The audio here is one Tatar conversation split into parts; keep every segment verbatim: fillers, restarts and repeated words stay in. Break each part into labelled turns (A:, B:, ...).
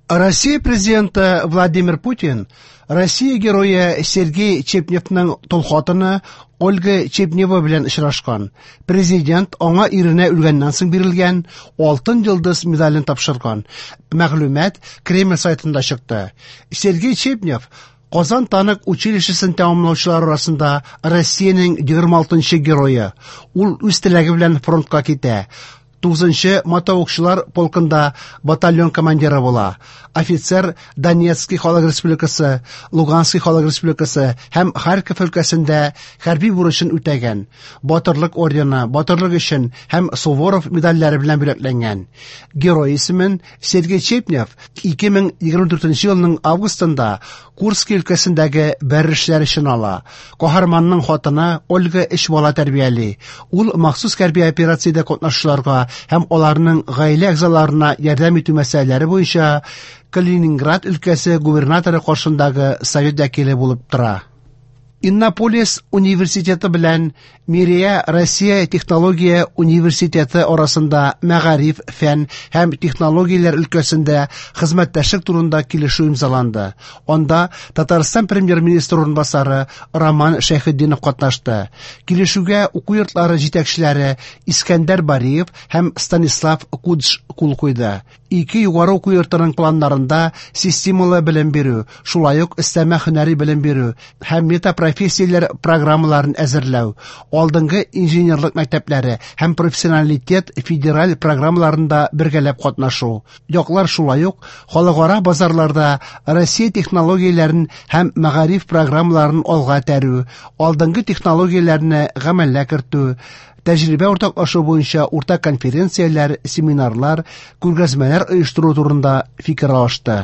A: Россия президенты Владимир Путин Россия герое Сергей Чепневның тол хатыны Ольга Чепнева белән очрашкан. Президент аңа иренә үлгәннән соң бирелгән Алтын йолдыз медален тапшырган. Мәгълүмат Кремль сайтында чыкты. Сергей Чепнев Казан танк училищесын тәмамлаучылар арасында Россиянең егерме алтынчы герое. Ул үз теләге белән фронтка китә. Тугызынчы мотоукчылар полкында батальон командиры була. Офицер Донецкий халык республикасы, Луганский халык республикасы һәм Харьков өлкәсендә хәрби бурычын үтәгән. Батырлык ордены, батырлык өчен һәм Суворов медальләре белән бүләкләнгән. Герой исемен Сергей Чепнев ике мең егерме дүртенче елның августында Курский өлкәсендәге бәрелешләр өчен ала. Каһарманның хатыны Ольга өч бала тәрбияли. Ул махсус хәрби операциядә катнашучыларга һәм аларның гаилә әгъзаларына ярдәм итү мәсьәләләре буенча Калининград өлкәсе губернаторы каршындагы совет вәкиле булып тора. Иннополис университеты белән Мирея Россия технология университеты арасында мәгариф, фән һәм технологияләр өлкәсендә хезмәттәшлек турында килешү имзаланды. Анда Татарстан премьер-министры урынбасары Роман Шәйхетдинов катнашты. Килешүгә уку йортлары җитәкчеләре Искәндәр Бариев һәм Станислав Кудж кул куйды. Ике югары уку йортының планнарында системалы белем бирү, шулай ук өстәмә һөнәри белем бирү һәм метапрофессияләр программаларын әзерләү, алдынгы инженерлык мәктәпләре һәм профессионалитет федераль программаларында бергәләп катнашу. Яклар шулай ук халыкара базарларда Россия технологияләрен һәм мәгариф программаларын алга этәрү, алдынгы технологияләрне гамәлгә кертү, тәҗрибә уртаклашу буенча уртак конференцияләр, семинарлар, күргәзмәләр оештыру турында фикер алышты.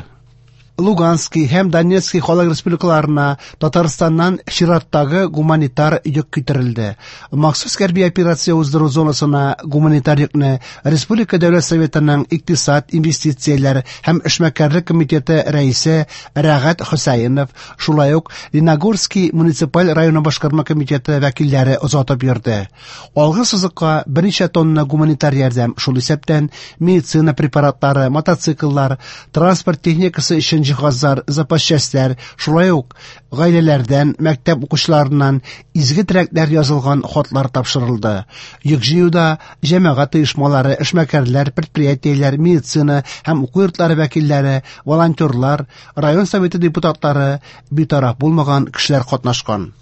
A: Луганский һәм Донецкий халык республикаларына Татарстаннан чираттагы гуманитар йөк китерелде. Махсус хәрби операция уздыру зонасына гуманитар йөкне Республика Дәүләт Советының икътисад, инвестицияләр һәм эшмәкәрлек комитеты рәисе Рәгать Хөсәенов, шулай ук Лениногорский муниципаль районы башкарма комитеты вәкилләре озатып йөрде. Алгы сызыкка берничә тонна гуманитар ярдәм, шул исәптән медицина препаратлары, мотоцикллар, транспорт техникасы өчен җиһазлар, запас частьләр, шулай ук гаиләләрдән, мәктәп укучыларыннан изге теләкләр язылган хатлар тапшырылды. Йөк җыюда җәмәгать оешмалары, эшмәкәрләр, предприятиеләр, медицина һәм уку йортлары вәкилләре, волонтерлар, район советы депутатлары, битараф булмаган кешеләр катнашкан.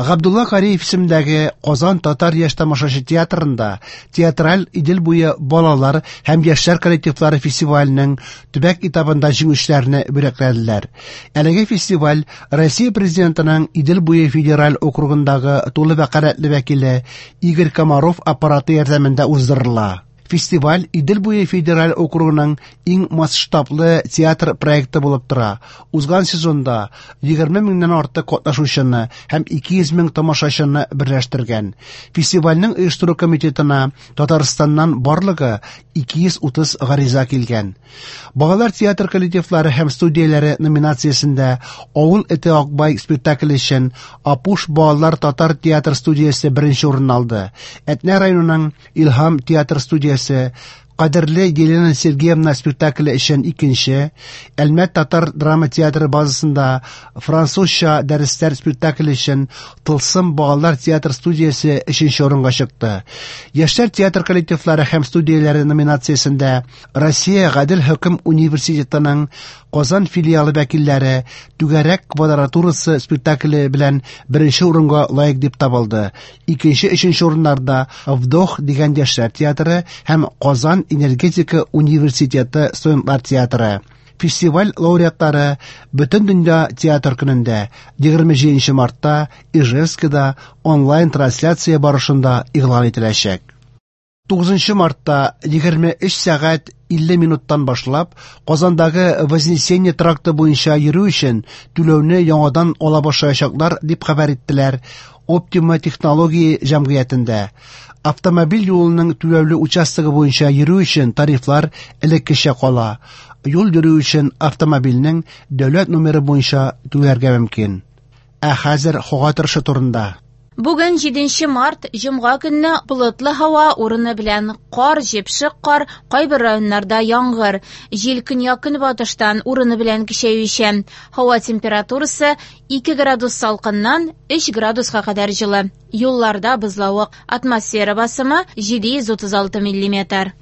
A: Габдулла Кариев исемендәге Казан татар яшь тамашачы театрында театраль Идел буе балалар һәм яшьләр коллективлары фестиваленең төбәк этабында җиңүчеләрне бүләкләделәр. Әлеге фестиваль Россия президентының Идел буе федераль округындагы тулы вәкаләтле вәкиле Игорь Комаров аппараты ярдәмендә уздырыла. Фестиваль Идел буе федераль округының иң масштаблы театр проекты булып тора. Узган сезонда егерме меңнән артык катнашучыны һәм ике йөз мең тамашачыны берләштергән. Фестивальнең оештыру комитетына Татарстаннан барлыгы ике йөз утыз гариза килгән. Балалар театр коллективлары һәм студияләре номинациясендә Авыл эте Акбай спектакле өчен Апуш балалар татар театр студиясе беренче урын алды. Әтнә районының Илһам театр студиясе Кадерле Елена Сергеевна спектакле өчен икенче, Әлмәт татар драма театры базасында французча дәресләр спектакле өчен Тылсым балалар театр студиясе өченче урынга чыкты. Яшьләр театр коллективлары һәм студияләре номинациясендә Россия Гадел хөкем университетының Казан филиалы вәкилләре Түгәрәк квадратурасы спектакле белән беренче урынга лаек дип табылды. Икенче, өченче урыннарда Вдох дигән яшьләр театры һәм Казан энергетика университеты студентлар театры. Фестиваль лауреатлары Бөтен дөнья театр көнендә егерме җиденче мартта Ижевскида онлайн-трансляция барышында игълан ителәчәк. Тугызынчы мартта егерме өч сәгать илле минуттан башлап Казандагы Вознесение тракты буенча йөрү өчен түләүне яңадан ала башлаячаклар дип хәбәр иттеләр Оптима технология җәмгыятендә. Автомобиль юлының түләүле участогы буенча йөрү өчен тарифлар элеккечә кала. Юл йөрү өчен автомобильнең дәүләт номеры буенча түләргә мөмкин. Ә хәзер һава торышы турында.
B: Бүген җиденче март, җомга көнне болытлы һава, урыны белән кар, җепшек кар, кайбер районнарда яңгыр. Җил көньяк-көнбатыштан урыны белән көчәючән. Һава температурасы ике градус салкыннан өч градуска кадәр җылы. Юлларда бозлавык. Атмосфера басымы җиде йөз утыз алты миллиметр.